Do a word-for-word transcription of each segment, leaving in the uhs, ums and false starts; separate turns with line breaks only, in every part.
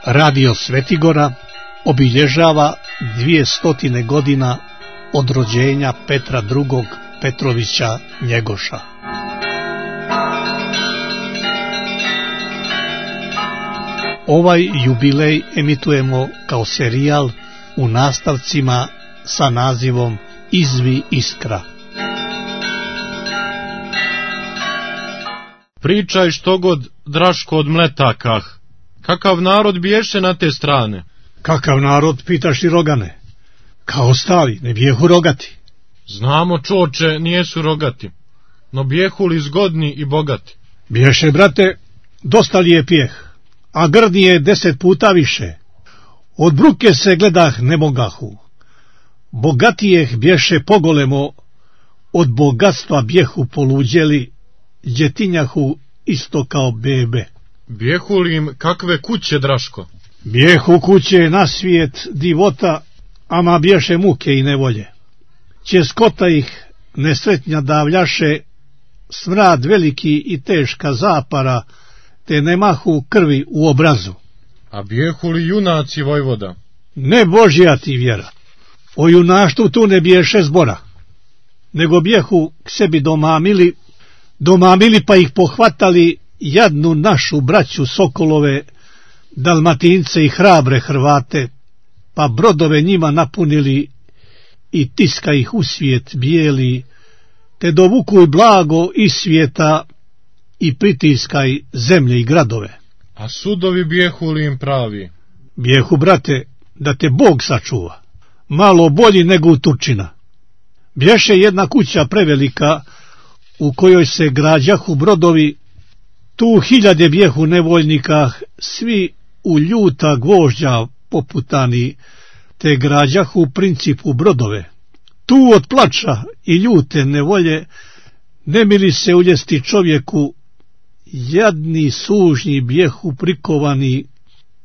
Radio Svetigora obilježava dvijestotine godina od rođenja Petra drugog Petrovića Njegoša. Ovaj jubilej emitujemo kao serijal u nastavcima sa nazivom Izvi iskra.
Pričaj što god, Draško, od Mletakah. Kakav narod biješe na te strane?
Kakav narod, pitaš i Rogane? Kao ostali, ne bijehu rogati.
Znamo, čoče, nijesu rogati, no bijehu li zgodni i bogati?
Biješe, brate, dosta lijepijeh, a grdnije deset puta više. Od bruke se gledah ne mogahu. Bogatijeh bješe pogolemo, od bogatstva bjehu poluđeli, djetinjahu isto kao bebe.
Bijehu li im kakve kuće, Draško?
Bijehu kuće na svijet divota, ama bješe muke i nevolje. Českota ih nesretnja davljaše, smrad veliki i teška zapara, te nemahu krvi u obrazu.
A bijehu li junaci, vojvoda?
Ne Božja ti vjera. O junaštu tu ne biješe zbora, nego bijehu k sebi domamili, domamili pa ih pohvatali jadnu našu braću Sokolove, Dalmatince i hrabre Hrvate, pa brodove njima napunili i tiska ih u svijet bijeli, te dovukuj blago iz svijeta i pritiskaj zemlje i gradove.
A sudovi bijehu li im pravi?
Bijehu, brate, da te Bog sačuva, malo bolji nego u Turčina. Bješe jedna kuća prevelika, u kojoj se građahu brodovi, tu hiljade bjehu nevoljnika, svi u ljuta gvožđa poputani, te građahu principu brodove. Tu od plača i ljute nevolje ne mili se uljesti čovjeku, jadni sužnji bjehu prikovani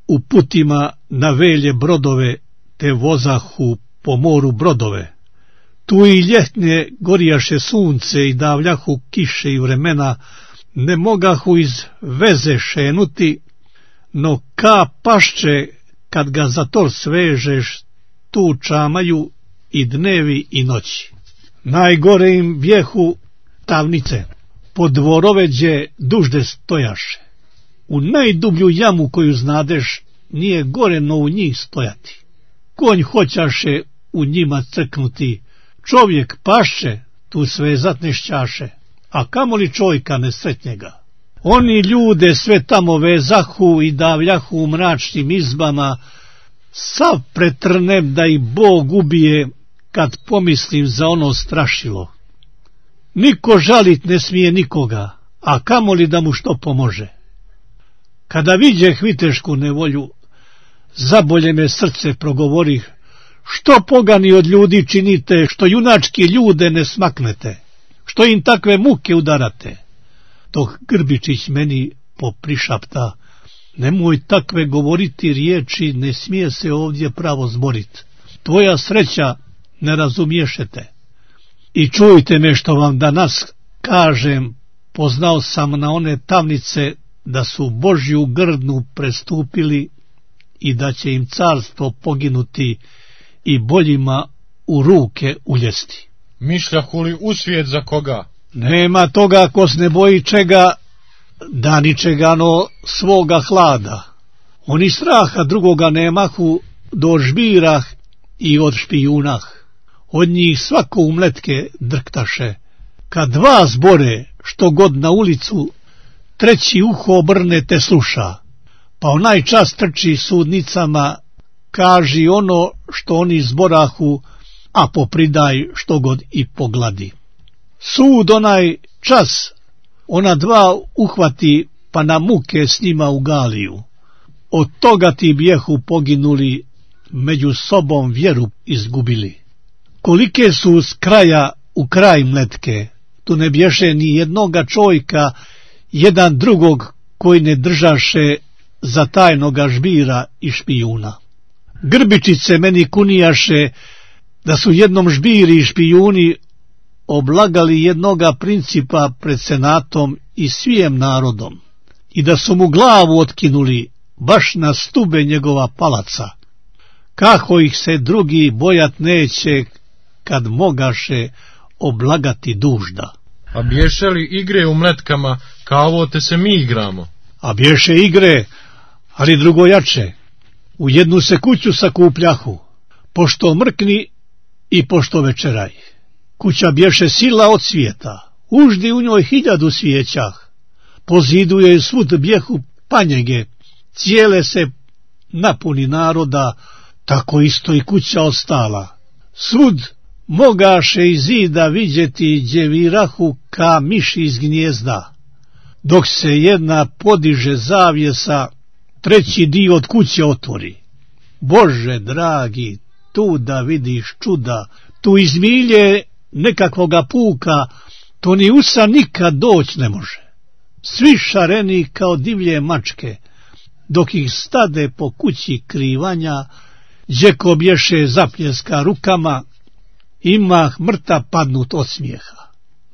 u putima na velje brodove, te vozahu po moru brodove. Tu i ljetne gorijaše sunce i davljahu kiše i vremena, ne mogahu iz veze šenuti, no ka pašče kad ga za to svežeš, tu čamaju i dnevi i noći. Najgore im bjehu tamnice, po dvoroveđe dužde stojaše. U najdublju jamu koju znadeš, nije gore no u njih stojati. Konj hoćaše u njima crknuti, čovjek pašće, tu sve zatnešćaše, a kamoli čojka nesretnjega. Oni ljude sve tamo vezahu i davljahu u mračnim izbama, sav pretrnem da ih Bog ubije kad pomislim za ono strašilo. Niko žalit ne smije nikoga, a kamoli da mu što pomože. Kada viđeh vitešku nevolju, zabolje me srce progovorih, što pogani od ljudi činite, što junački ljude ne smaknete, što im takve muke udarate. Dok Grbičić meni poprišapta, nemoj takve govoriti riječi, ne smije se ovdje pravo zborit. Tvoja sreća ne razumiješete. I čujte me što vam danas kažem, poznao sam na one tamnice da su Božju grdnu prestupili i da će im carstvo poginuti i boljima u ruke uljesti.
Mišljahu li u svijet za koga?
Nema toga ko se ne boji čega, da ničega no svoga hlada. Oni straha drugoga nemahu do žbirah i od špijunah. Od njih svako umletke drktaše. Kad dva zbore što god na ulicu, treći uho obrne te sluša, pa onaj čas trči sudnicama, kaži ono što oni zborahu, a popridaj što god i pogladi. Sud onaj čas ona dva uhvati, pa na muke s njima u Galiju. Od toga ti bijehu poginuli, među sobom vjeru izgubili. Kolike su s kraja u kraj mletke, tu ne bješe ni jednoga čojka, jedan drugog koji ne držaše za tajnoga žbira i špijuna. Grbičice meni kunijaše da su jednom žbiri i špijuni oblagali jednoga principa pred senatom i svijem narodom i da su mu glavu otkinuli baš na stube njegova palaca. Kako ih se drugi bojat neće, kad mogaše oblagati dužda.
A bješe li igre u mletkama, kao ovo te se mi igramo?
A bješe igre, ali drugo jače. U jednu se kuću sakupljahu, pošto mrkni i pošto večeraj. Kuća bješe sila od svijeta, uždi u njoj hiljadu svijećah. Po zidu joj svud bjehu panjege, cijele se napuni naroda, tako isto i kuća ostala. Svud mogaše iz zida vidjeti gdje virahu ka miši iz gnjezda. Dok se jedna podiže zavjesa, treći dio od kuće otvori. Bože dragi, tu da vidiš čuda, tu iz milje nekakvoga puka, to ni usa nikad doć ne može. Svi šareni kao divlje mačke, dok ih stade po kući krivanja, džeko bješe zapljeska rukama, imah mrta padnut od smijeha.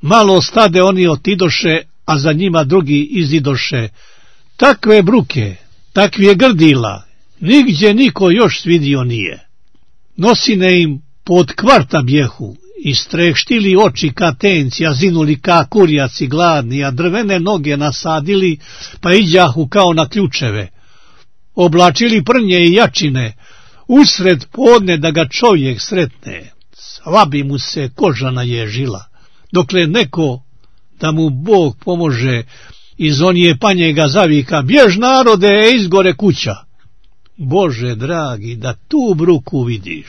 Malo stade oni otidoše, a za njima drugi izidoše. Takve bruke, takvije grdila, nigdje niko još svidio nije. Nosine im pod kvarta bjehu, istreštili oči ka tenci, a zinuli ka kurjaci gladni, a drvene noge nasadili, pa iđahu kao na ključeve. Oblačili prnje i jačine, usred podne da ga čovjek sretne, sva bi mu se koža naježila, dokle neko da mu Bog pomože, iz onije panjega zavika, bjež narode, izgore kuća. Bože dragi, da tu bruku vidiš,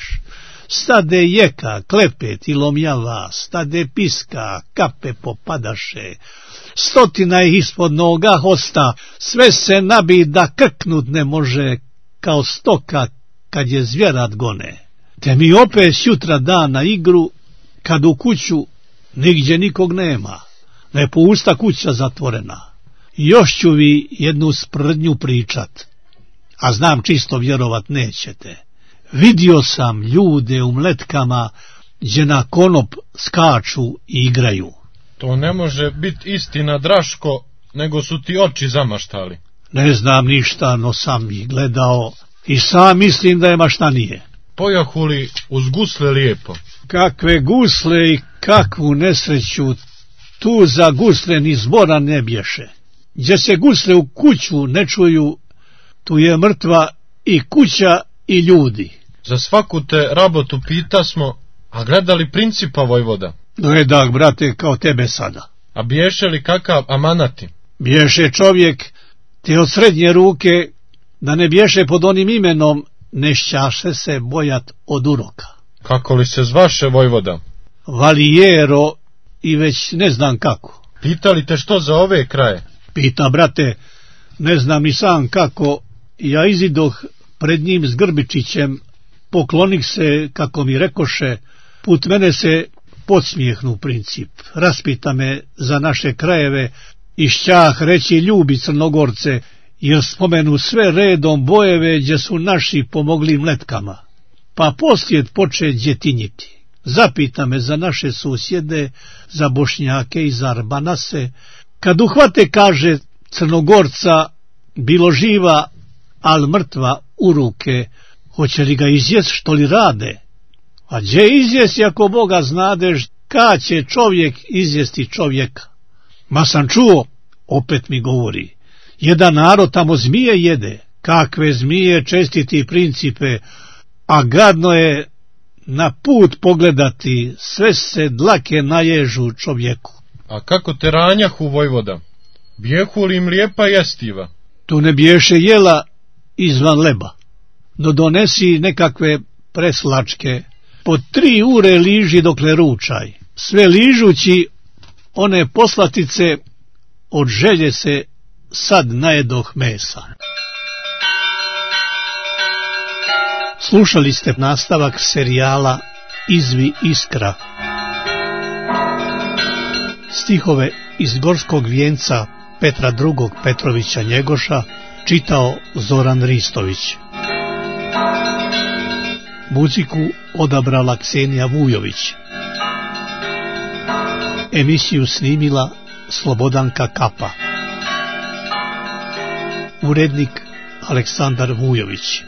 stade jeka, klepet i lomjava, stade piska, kape popadaše, stotina ih ispod noga hosta, sve se nabi da krknut ne može, kao stoka kad je zvjerat gone. Te mi opet sutra dan na igru, kad u kuću nigdje nikog nema, ne pusta kuća zatvorena. Još ću vi jednu sprdnju pričat, a znam čisto vjerovat nećete. Vidio sam ljude u mletkama, gdje na konop skaču i igraju.
To ne može biti istina, Draško, nego su ti oči zamaštali.
Ne znam ništa, no sam ih gledao i sam mislim da je maštanije.
Pojahuli uz gusle lijepo.
Kakve gusle i kakvu nesreću, tu za gusle ni zbora ne bješe. Gdje se gusle u kuću ne čuju, tu je mrtva i kuća i ljudi.
Za svaku te rabotu pita smo, a gledali principa vojvoda?
No je dak, brate, kao tebe sada.
A bješe li kakav amanati?
Bješe čovjek, te od srednje ruke, da ne bješe pod onim imenom, nešćaše se bojat od uroka.
Kako li se zvaše vojvoda?
Valijero i već ne znam kako.
Pitali te što za ove kraje?
Pita, brate, ne znam ni sam kako. Ja izidoh pred njim s Grbičićem, poklonih se, kako mi rekoše, put mene se podsmijehnu princip. Raspita me za naše krajeve i šćah reći ljubi Crnogorce, jer spomenu sve redom bojeve gdje su naši pomogli mletkama. Pa poslijed poče djetinjiti. Zapita me za naše susjede, za Bošnjake i za Arbanase. Kad uhvate, kaže, Crnogorca, bilo živa, al mrtva u ruke, hoće li ga izjest što li rade? A gdje izjesti ako Boga znadeš, kad će čovjek izjesti čovjeka? Ma sam čuo, opet mi govori, jedan narod tamo zmije jede, kakve zmije, čestiti principe, a gadno je na put pogledati, sve se dlake naježu čovjeku.
A kako te ranjahu vojvoda? Bijehu li im lijepa jestiva?
Tu ne biješe jela izvan leba, no donesi nekakve preslačke, po tri ure liži dokle ručaj, sve ližući one poslatice, od želje se sad najedoh mesa. Slušali ste nastavak serijala Izvi Iskra. Stihove iz Gorskog vijenca Petra drugog Petrovića Njegoša čitao Zoran Ristović. Muziku odabrala Ksenija Vujović. Emisiju snimila Slobodanka Kapa. Urednik Aleksandar Vujović.